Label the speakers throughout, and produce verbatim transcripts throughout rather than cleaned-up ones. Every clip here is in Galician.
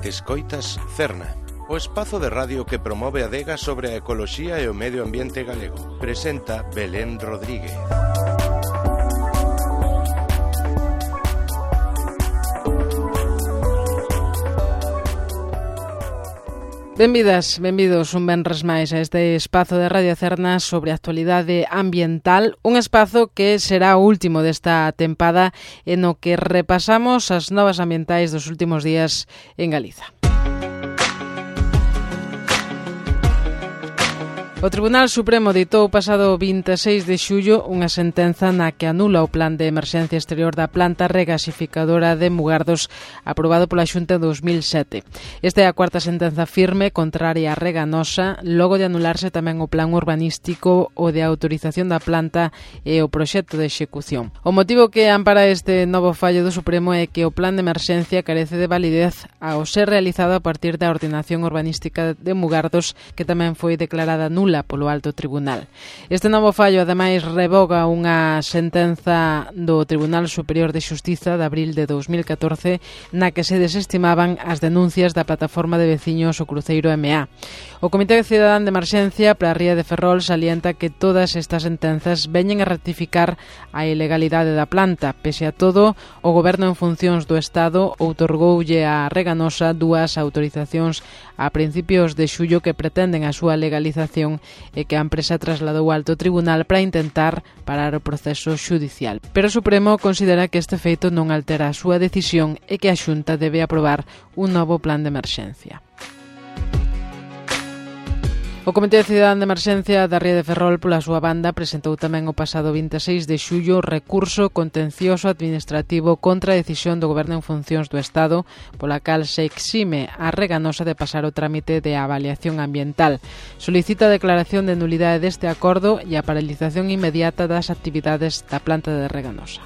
Speaker 1: Escoitas Cerna, o espazo de radio que promove a adega sobre a ecoloxía e o medio ambiente galego. Presenta Belén Rodríguez.
Speaker 2: Benvidas, benvidos un venres máis a este espazo de Radio Cerna sobre a actualidade ambiental, un espazo que será o último desta tempada en o que repasamos as novas ambientais dos últimos días en Galiza. O Tribunal Supremo ditou o pasado vinte e seis de xullo unha sentenza na que anula o plan de emerxencia exterior da planta regasificadora de Mugardos aprobado pola Xunta en dos mil sete. Esta é a cuarta sentenza firme contraria a Reganosa, logo de anularse tamén o plan urbanístico o de autorización da planta e o proxecto de execución. O motivo que ampara este novo fallo do Supremo é que o plan de emerxencia carece de validez ao ser realizado a partir da ordenación urbanística de Mugardos, que tamén foi declarada nula polo Alto Tribunal. Este novo fallo, ademais, revoga unha sentenza do Tribunal Superior de Xustiza de abril de dos mil catorce na que se desestimaban as denuncias da plataforma de veciños o Cruceiro M A. O Comité Cidadán de Emerxencia para a Ría de Ferrol salienta que todas estas sentenzas veñen a rectificar a ilegalidade da planta. Pese a todo, o Goberno en funcións do Estado outorgoulle a Reganosa dúas autorizacións a principios de xullo que pretenden a súa legalización e que a empresa trasladou ao Alto Tribunal para intentar parar o proceso xudicial. Pero o Supremo considera que este feito non altera a súa decisión e que a Xunta debe aprobar un novo plan de emerxencia. O Comité Cidadán de Emerxencia da Ría de Ferrol, pola súa banda, presentou tamén o pasado vinte e seis de xullo recurso contencioso administrativo contra a decisión do Goberno en funcións do Estado, pola cal se exime a Reganosa de pasar o trámite de avaliación ambiental. Solicita a declaración de nulidade deste acordo e a paralización inmediata das actividades da planta de Reganosa.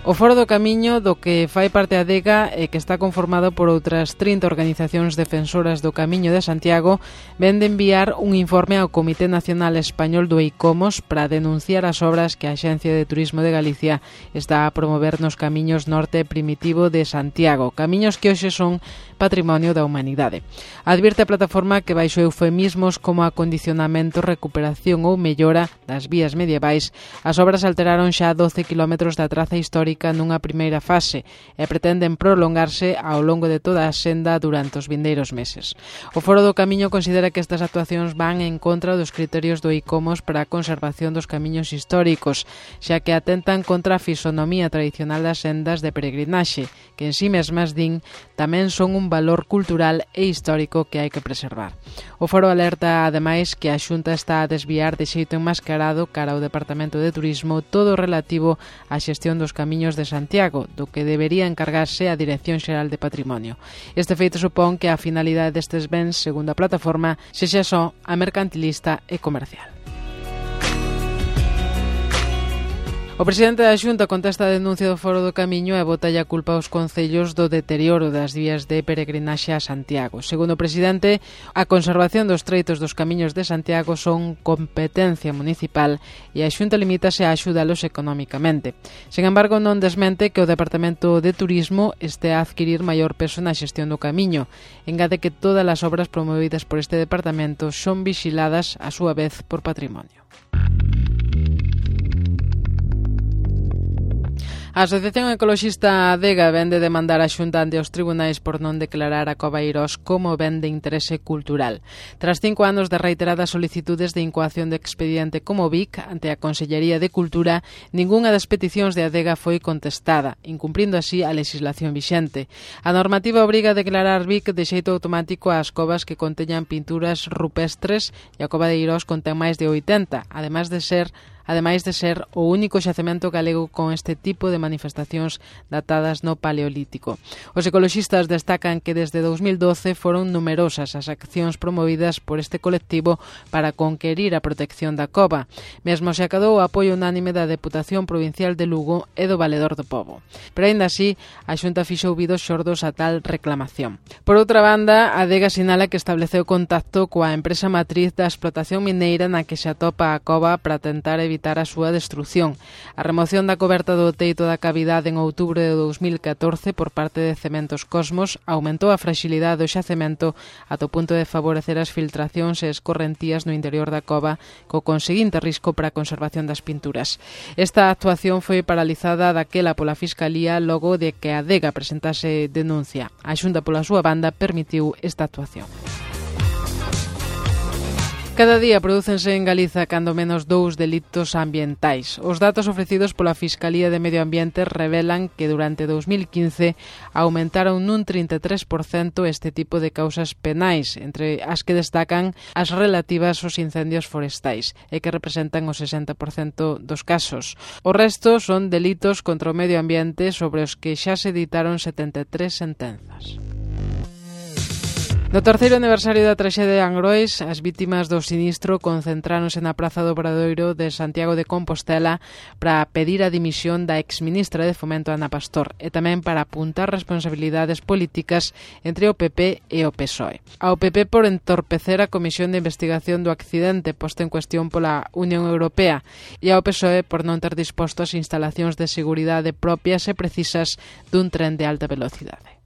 Speaker 2: O Foro do Camiño, do que fai parte a adega e que está conformado por outras trinta organizacións defensoras do Camiño de Santiago, ven de enviar un informe ao Comité Nacional Español do ICOMOS para denunciar as obras que a Axencia de Turismo de Galicia está a promover nos camiños norte primitivo de Santiago, camiños que hoxe son patrimonio da humanidade. Advierte a plataforma que baixo eufemismos como acondicionamento, recuperación ou mellora das vías medievais, as obras alteraron xa doce kilómetros da traza histórica nunha primeira fase e pretenden prolongarse ao longo de toda a senda durante os vindeiros meses. O Foro do Camiño considera que estas actuacións van en contra dos criterios do ICOMOS para a conservación dos camiños históricos, xa que atentan contra a fisonomía tradicional das sendas de peregrinaxe, que en si mesmas din tamén son un valor cultural e histórico que hai que preservar. O Foro alerta, ademais, que a Xunta está a desviar de xeito enmascarado cara ao Departamento de Turismo todo o relativo á xestión dos camiños de Santiago, do que debería encargarse a Dirección Xeral de Patrimonio. Este feito supón que a finalidade destes bens, segundo a plataforma, sexa só a mercantilista e comercial. O presidente da Xunta contesta a denuncia do Foro do Camiño e botalle a culpa aos concellos do deterioro das vías de peregrinaxe a Santiago. Segundo o presidente, a conservación dos treitos dos camiños de Santiago son competencia municipal e a Xunta limítase a axudalos económicamente. Sen embargo, non desmente que o Departamento de Turismo este a adquirir maior peso na xestión do camiño. Engade que todas as obras promovidas por este departamento son vixiladas a súa vez por Patrimonio. A Asociación Ecoloxista Adega vén de demandar a Xunta ante os tribunais por non declarar a Cova Eirós como ben de interese cultural. Tras cinco anos de reiteradas solicitudes de incoación de expediente como V I C ante a Consellería de Cultura, ningunha das peticións de Adega foi contestada, incumprindo así a legislación vixente. A normativa obriga a declarar V I C de xeito automático ás covas que conteñan pinturas rupestres e a Cova de Eirós contén máis de oitenta, ademais de ser ademais de ser o único xacemento galego con este tipo de manifestacións datadas no Paleolítico. Os ecoloxistas destacan que desde dous mil doce foron numerosas as accións promovidas por este colectivo para conquerir a protección da cova. Mesmo se acadou o apoio unánime da Deputación Provincial de Lugo e do Valedor do Pobo. Pero aínda así, a Xunta fixo ouvidos xordos a tal reclamación. Por outra banda, a Adega sinala que estableceu contacto coa empresa matriz da explotación mineira na que se atopa a cova para tentar evitar evitar a súa destrución. A remoción da coberta do teito da cavidade en outubro de dous mil catorce por parte de Cementos Cosmos aumentou a fragilidade do xacemento ata o punto de favorecer as filtracións e escorrentías no interior da cova, co conseguinte risco para a conservación das pinturas. Esta actuación foi paralizada daquela pola Fiscalía logo de que a Adega presentase denuncia. A Xunta, pola súa banda, permitiu esta actuación. Cada día prodúcense en Galiza cando menos dous delitos ambientais. Os datos ofrecidos pola Fiscalía de Medio Ambiente revelan que durante dous mil quince aumentaron nun trinta e tres por cento este tipo de causas penais, entre as que destacan as relativas aos incendios forestais, e que representan o sesenta por cento dos casos. O resto son delitos contra o medio ambiente sobre os que xa se editaron setenta e tres sentenzas. No terceiro aniversario da traxedia de Angrois, as vítimas do sinistro concentráronse na Praza do Obradoiro de Santiago de Compostela para pedir a dimisión da exministra de Fomento Ana Pastor e tamén para apuntar responsabilidades políticas entre o P P e o P S O E. Ao P P por entorpecer a Comisión de Investigación do accidente posta en cuestión pola Unión Europea e ao P S O E por non ter disposto as instalacións de seguridade propias e precisas dun tren de alta velocidade.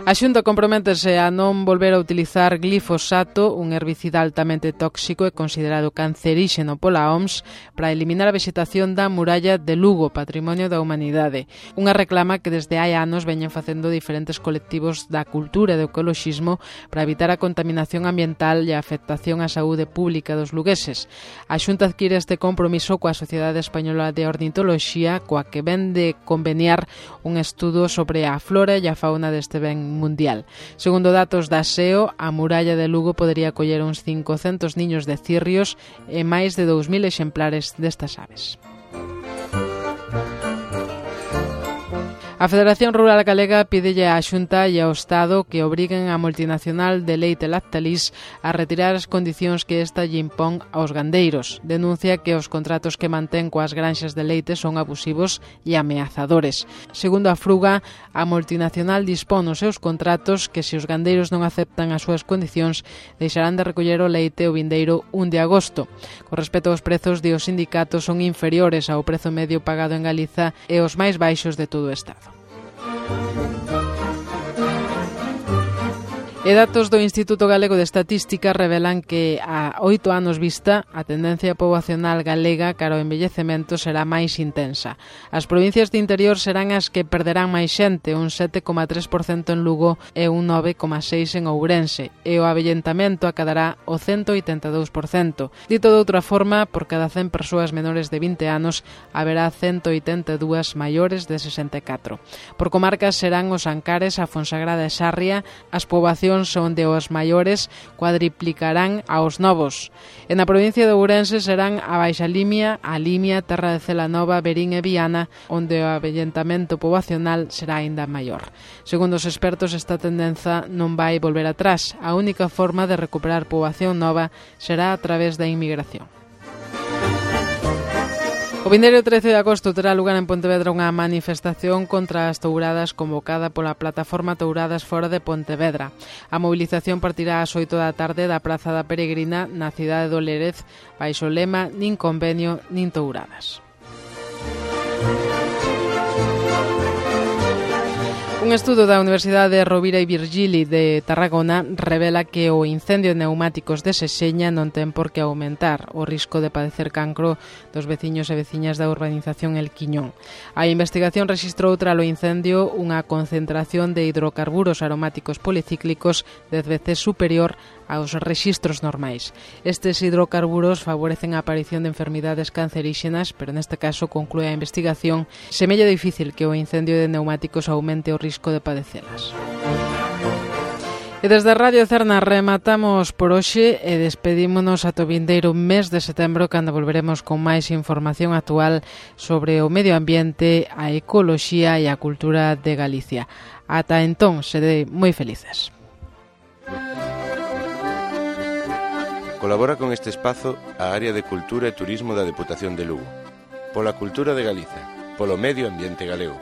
Speaker 2: A Xunta comprométese a non volver a utilizar glifosato, un herbicida altamente tóxico e considerado canceríxeno pola O M S, para eliminar a vexetación da muralla de Lugo, patrimonio da humanidade. Unha reclama que desde hai anos veñen facendo diferentes colectivos da cultura e do ecoloxismo para evitar a contaminación ambiental e a afectación á saúde pública dos lugueses. A Xunta adquire este compromiso coa Sociedade Española de Ornitoloxía, coa que ven de conveniar un estudo sobre a flora e a fauna deste ben mundial. Segundo datos da S E O, a muralla de Lugo podería acoller uns cincocentos niños de cirrios e máis de dous mil exemplares destas aves. A Federación Rural Galega pídelle á Xunta e ao Estado que obriguen a multinacional de leite Lactalis a retirar as condicións que esta lle impón aos gandeiros. Denuncia que os contratos que mantén coas granxas de leite son abusivos e ameazadores. Segundo a Fruga, a multinacional dispón nos seus contratos que se os gandeiros non aceptan as súas condicións deixarán de recoller o leite o vindeiro un de agosto. Con respecto aos prezos, de os sindicatos son inferiores ao prezo medio pagado en Galiza e os máis baixos de todo o Estado. E datos do Instituto Galego de Estatística revelan que a oito anos vista a tendencia poboacional galega cara ao envellecemento será máis intensa. As provincias de interior serán as que perderán máis xente, un sete coma tres por cento en Lugo e un nove coma seis por cento en Ourense, e o avellentamento acadará o cento oitenta e dous por cento. Dito de outra forma, por cada cen persoas menores de vinte anos haberá cento oitenta e dúas maiores de sesenta e catro. Por comarcas serán os Ancares, a Fonsagrada e Sarria, as poboacións onde os maiores cuadriplicarán aos novos. E na provincia de Ourense serán a Baixa Limia, a Limia, Terra de Celanova, Verín e Viana, onde o avellentamento poboacional será aínda maior. Segundo os expertos, esta tendenza non vai volver atrás. A única forma de recuperar poboación nova será a través da inmigración. O vindeiro trece de agosto terá lugar en Pontevedra unha manifestación contra as touradas convocada pola plataforma Touradas Fora de Pontevedra. A mobilización partirá ás oito da tarde da Praza da Peregrina na cidade do Lérez, baixo o lema "Nin convenio, nin touradas". Un estudo da Universidade Rovira e Virgili de Tarragona revela que o incendio de neumáticos de Sexeña non ten por que aumentar o risco de padecer cancro dos veciños e veciñas da urbanización El Quiñón. A investigación rexistrou tralo incendio unha concentración de hidrocarburos aromáticos policíclicos dez veces superior aos rexistros normais. Estes hidrocarburos favorecen a aparición de enfermidades canceríxenas, pero neste caso, conclúe a investigación, semella difícil que o incendio de neumáticos aumente o risco de padecelas. E desde a Radio Cerna rematamos por hoxe e despedímonos ata o vindeiro mes de setembro, cando volveremos con máis información actual sobre o medio ambiente, a ecoloxía e a cultura de Galicia. Ata entón, sede moi felices.
Speaker 1: Colabora con este espazo a Área de Cultura e Turismo da Deputación de Lugo. Pola cultura de Galiza, polo medio ambiente galego.